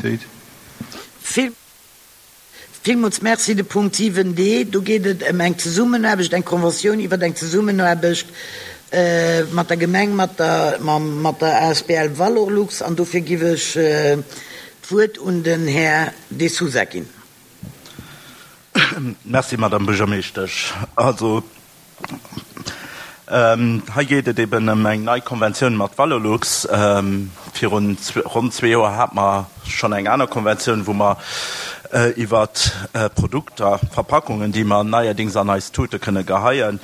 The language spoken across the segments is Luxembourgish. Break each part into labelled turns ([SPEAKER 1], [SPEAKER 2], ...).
[SPEAKER 1] Unanimitéit.
[SPEAKER 2] Villmools Merci. De Punkt 7 d, do geet et ëm eng Zesummenaarbecht, eng Conventioun iwwert eng Zesummenaarbecht mat der Gemeng, mat der, mat der asbl Valorlux. An dofir giff ech d'Wuert un den Här De Sousa ginn.
[SPEAKER 3] Merci, Madame Buergermeeschtesch. Also, hei geet et eben ëm eng nei Konventioun mat Valorlux. Virun ronn zwee Joer hate mer schonn eng aner Konventioun, wou mer iwwer Produkter, Verpackungen, déi mer neierdings an eis Tute kënne geheien,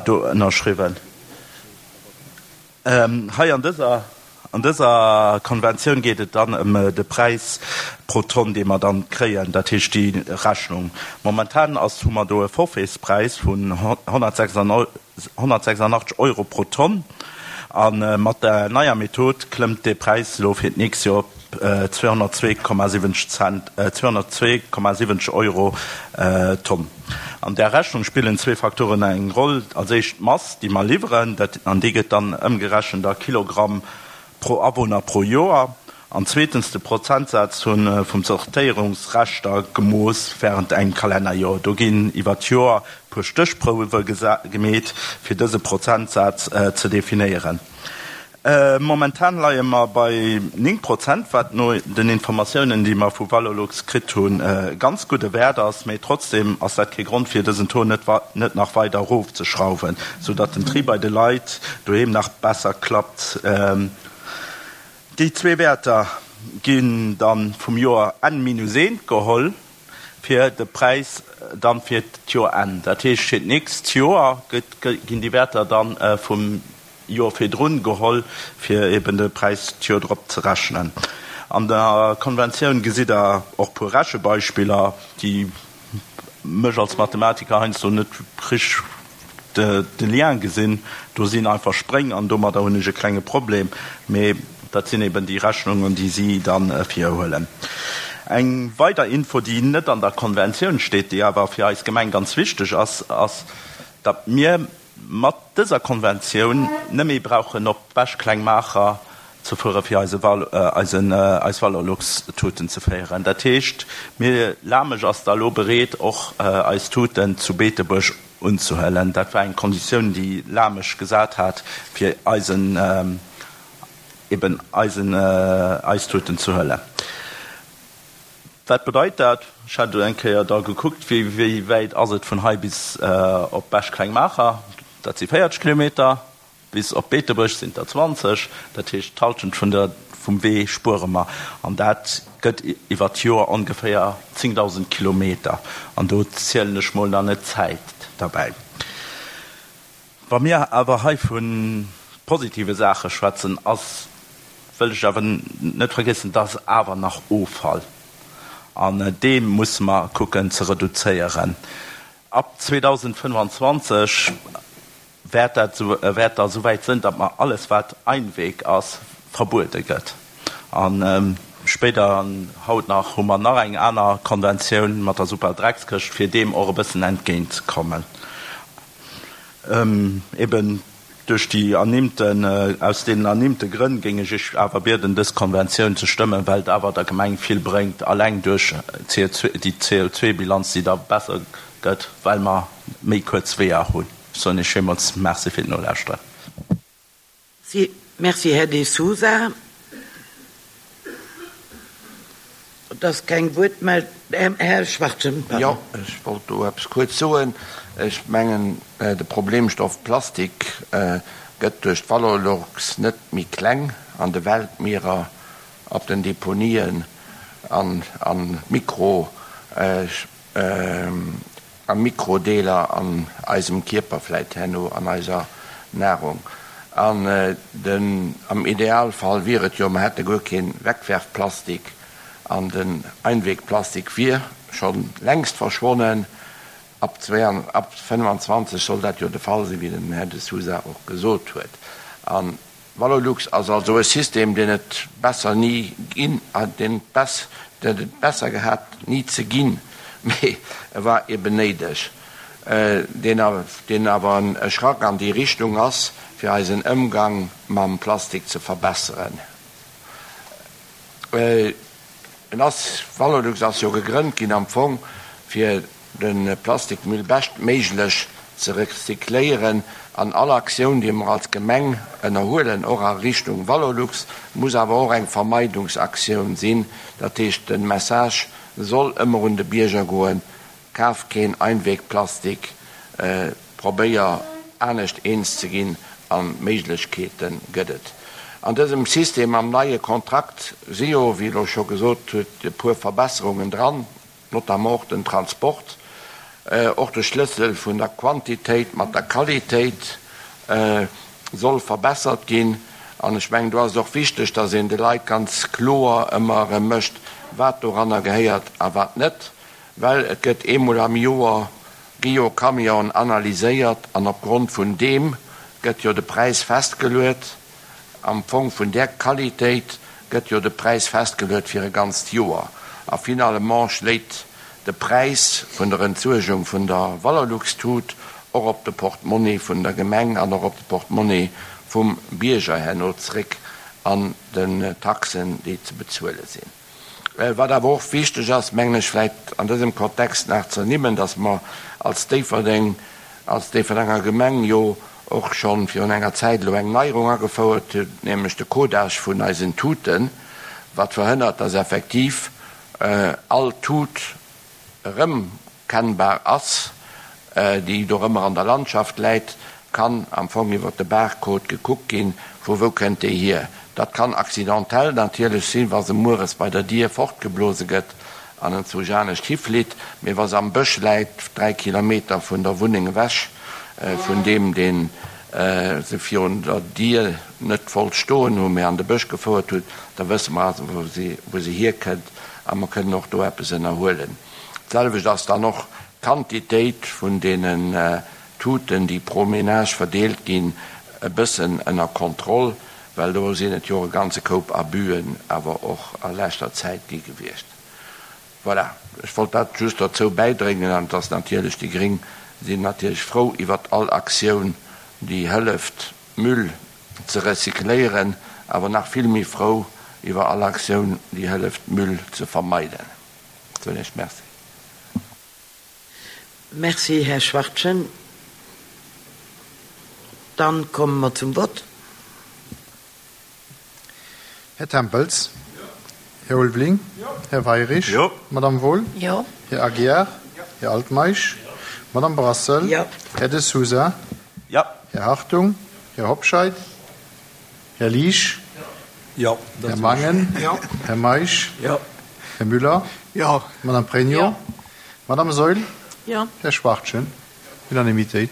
[SPEAKER 3] do ënnerschriwwen. Hei an dëser, an dëser Konventioun geet et dann ëm de Präis pro Tonn, dee mer dann kréien, dat heescht déi Rechnung. Momentan ass, hu mer do e Forfaitspräis vun 186 Euro pro Tonn a mat der neier Method klëmmt dee Präis elo fir d'nächst Joer op 202,70 Cent, 202,70 Euro d'Tonn. An där Rechnung spillen zwee Faktoren eng Roll, Als éischt d'Mass, déi mer liwweren, dat, an déi gëtt dann ëmgerechent a Kilogramm pro Awunner pro Joer, an zweetens de Prozentsaz vum Zortéierungsreschter gemooss wärend engem Kalennerjoer. Do ginn iwwer d'Joer e puer Stéchprouwe gemeet, fir dëse Prozentsaz ze definéieren. Momentan leie mer bei 9 Prozent, wat no den Informatiounen, déi mer vu Valorlux kritt hunn, e ganz gudde Wäert ass. Mee trotzdeem ass dat kee Grond, fir dësen Taux net net nach weider erofzeschrauwen, sou datt den Tri bei de Leit doheem nach besser klappt. Déi zwee Wäerter ginn da vum Joer N minus eent geholl, fir de Präis dann fir d'Joer N. Dat heescht, fir d'nächst Joer ginn déi Wäerter dann vum Joer virdrun geholl, fir eben de Präis d'Joer drop ze rechnen. An der Konventioun gesitt Der och puer Rechebeispiller, déi mech als Mathematiker heiansdo net richteg de Lien gesinn. Do sinn einfach Spréng an domadder hunn ech e klenge Problem. Mee dat sinn eben déi Rechnungen, déi si da virhuelen. Eng weider Info, déi net an der Konventioun steet, déi awer fir eis Gemeng ganz wichteg ass, ass, datt mir mat dëser Konventioun net méi brauchen op Bech-Klengmaacher ze fuere fir eise eisen eis Valorlux-Tuten ze féieren. Dat heescht, mir, Lamesch ass da elo bereet och eis Tuten zu Beetebuerg unzehuelen. Dat war eng Konditioun déi Lamesch gesat hat fir eisen eben eisen eis Tuten ze huelen. Wat bedeit dat? Ech hat eng Kéier da gekuckt, wéi wäit ass et vun hei bis op Bech-Klengmaacher? Dat si 40 Kilometer. Bis op Beetebuerg sinn et der 20. Dat heescht, d'Hallschent vun der, vum Wee spuere mer. An dat gëtt iwwer d'Joer ongeféier 10.000 Kilometer. An do zielen ech mol nach net d'Zäit derbäi. Wa mir awer hei vu positive Saache schwätzen, ass, wëll ech awer net vergiessen, dass awer nach Offall, an dee musse mer kucken ze reduzéieren. Ab 2025 wäert dat, wäert da souwäit sënn, datt mer alles wat Einweg ass, verbuede gëtt. A spéider, an haut nach, hu mer nach eng aner Konventioun mat der Superdreckskëscht, fir deem och e bëssen entgéintzekommen. Eben duerch déi ernimmten, aus deenen ernimmte Grënn géing ech Iech awer bieden, dës Konventioun ze stëmmen, well et awer der Gemeng vill bréngt, alleng duerch déi CO2-Bilanz, déi da besser gëtt, well mer méi kuerz Weeër hunn. Ech soen Iech villmools Merci fir d'Nolauschteren.
[SPEAKER 2] Merci, Här De Sousa. Et ass keng Wuertmeld. Här Schwachtgen, pardon.
[SPEAKER 4] Jo, ech wollt do eppes kuerz soen. Ech mengen, de Problemstoff Plastik gëtt duerch d'Valorlux net méi kleng an de Weltmierer, op den Deponien an a Mikro. A Mikrodeeler an eisem Kierper, vläit herno an eiser Nahrung. An den, am Idealfall wier et jo, mer hätte guer kee Wegwerfplastik an den Einwegplastik wier scho längst verschwonnen. Ab 25 soll dat jo de Fall sinn, wéi den Här De Sousa och gesot huet. An Valorlux ass also e System, deen et besser ni ginn, deen et besser gehat ni ze ginn, mee e war eben néideg, deen awer e Schrack an déi Richtung ass, fir eisen Ëmgang mam Plastik ze verbesseren. En ass, Valorlux ass jo gegrënnt ginn am Fong, fir de Plastikmüll beschtméiglech ze recycléieren. An all Aktioun, déi mer als Gemeng ënnerhuelen, och a Richtung Valorlux, muss awer och eng Vermeidungsaktioun sinn. Dat heescht, de Message soll ëmmer un de Bierger goen, Kaf keen Einwegplastik, probéier anescht eens ze ginn a Méiglechkeete gëtt et. An dësem System, am neie Kontrakt, si jo, wéi elo scho gesot huet, e puer Verbesserungen dran, notamment och den Transport, och de Schlëssel vun der Quantitéit mat der Qualitéit soll verbessert ginn. An ech mengen, do ass et och wichteg, dass een de Leit ganz kloer ëmmer erëm mécht, wat doranner gehéiert a wat net. Well et gëtt eemol am Joer, gi jo Camionen analyséiert an opgrond vun deem gëtt jo de Präis festgeluet. Am Fong vun där Qualitéit gëtt jo de Präis festgeluet fir e ganzt Joer. A finalement schléit de Präis vun der Entsuergung vun der Valorlux-Tut och op de Portemonnaie vun der Gemeng an och op de Portemonnaie vum Bierger herno zréck an den Taxen, déi ze bezuele sinn. Wat awer och wichteg ass, mengen ech, vläicht an dësem Kontext nach ze ernimmen, dass mer als Déifferdeng, als Déifferdenger Gemeng jo och scho virun enger Zäit elo eng Neierung agefouert hunn, nämlech de Codage vun eisen Tuten, wat verhënnert, dass effektiv all Tut erëmkennbar ass, déi dorëmmer an der Landschaft läit, kann am Fong iwwer de Barcode gekuckt ginn, vu wou kënnt déi hier. Dat kann accidentell natierlech sinn, wa se mueres bei der Dier fortgeblose gëtt an en zu anescht hiflitt, mee wa se am Bësch läit, 3 Kilometer vun der Wunneng ewech, vun deem, dee se virun der Dier net wollt stoen hunn, mee an de Bësch gefouert huet, da wësse mer also, wou se hierkënnt a mer kënnen och do eppes ënnerhuelen. D'selwecht ass dann och d'Quantitéit vun deenen Tuten, déi pro Ménage verdeelt ginn, e bëssen ënner Kontroll, well do sinn et jo och e ganze Koup Abüen awer och a leschter Zäit gi gewiescht. Voilà, ech wollt dat just dozou bäidréngen. An et ass natierlech, déi Gréng sinn natierlech frou iwwert all Aktioun, déi hëlleft, Müll ze recycléieren, awer nach vill méi frou iwwer all Aktioun, déi hëlleft, Müll ze vermeiden. Soen Iech Merci.
[SPEAKER 2] Merci, Här Schwachtgen. Dann komme mer zum Vott.
[SPEAKER 1] Här Tempels. Här Ulveling. Här Weirich. Madame Wohl. Här Aguiar. Här Altmeisch. Madame Brassel. Här De Sousa. Här Hartung. Här Hobscheit. Här Liesch. Här Mangen. Här Meisch. Här Müller. Madame Pregno. Madame Saeul. Här Schwachtgen. Unanimitéit.